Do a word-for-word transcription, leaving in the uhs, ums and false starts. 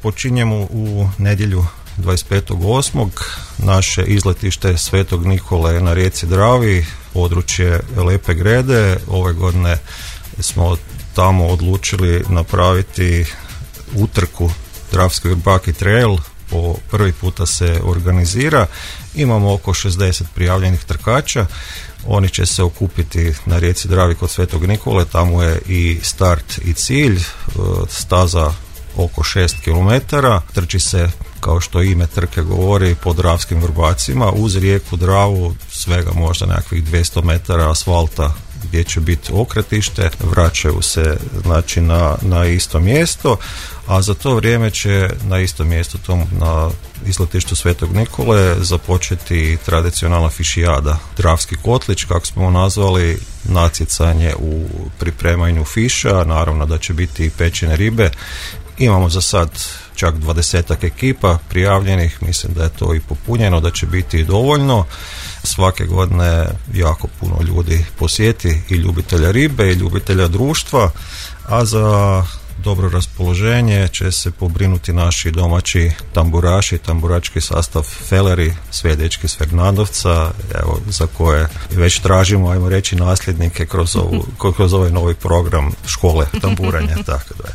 Počinjemo u nedjelju dvadeset petog osmog naše izletište Svetog Nikole na rijeci Dravi, područje Lepe Grede. Ove godine smo tamo odlučili napraviti utrku Dravski Vrbaki Trail. Po prvi puta se organizira. Imamo oko šezdeset prijavljenih trkača. Oni će se okupiti na rijeci Dravi kod Svetog Nikole. Tamo je i start i cilj. Staza oko šest kilometara. Trči se, kao što ime trke govori, po dravskim vrbacima uz rijeku Dravu, svega možda nekakvih dvjesto metara asfalta gdje će biti okretište. Vraćaju se znači na, na isto mjesto, a za to vrijeme će na istom mjestu, tom na izletištu Svetog Nikole, započeti tradicionalna fišijada, Dravski kotlić, kako smo nazvali, natjecanje u pripremanju fiša. Naravno da će biti i pečene ribe. Imamo za sad čak dvadesetak ekipa prijavljenih, mislim da je to i popunjeno, da će biti dovoljno. Svake godine jako puno ljudi posjeti, i ljubitelja ribe i ljubitelja društva, a za dobro raspoloženje će se pobrinuti naši domaći tamburaši, tamburački sastav Feleri, sve dečki s Fernandovca, evo, za koje već tražimo, ajmo reći, nasljednike kroz, ovu, kroz ovaj novi program škole tamburanja, tako da je.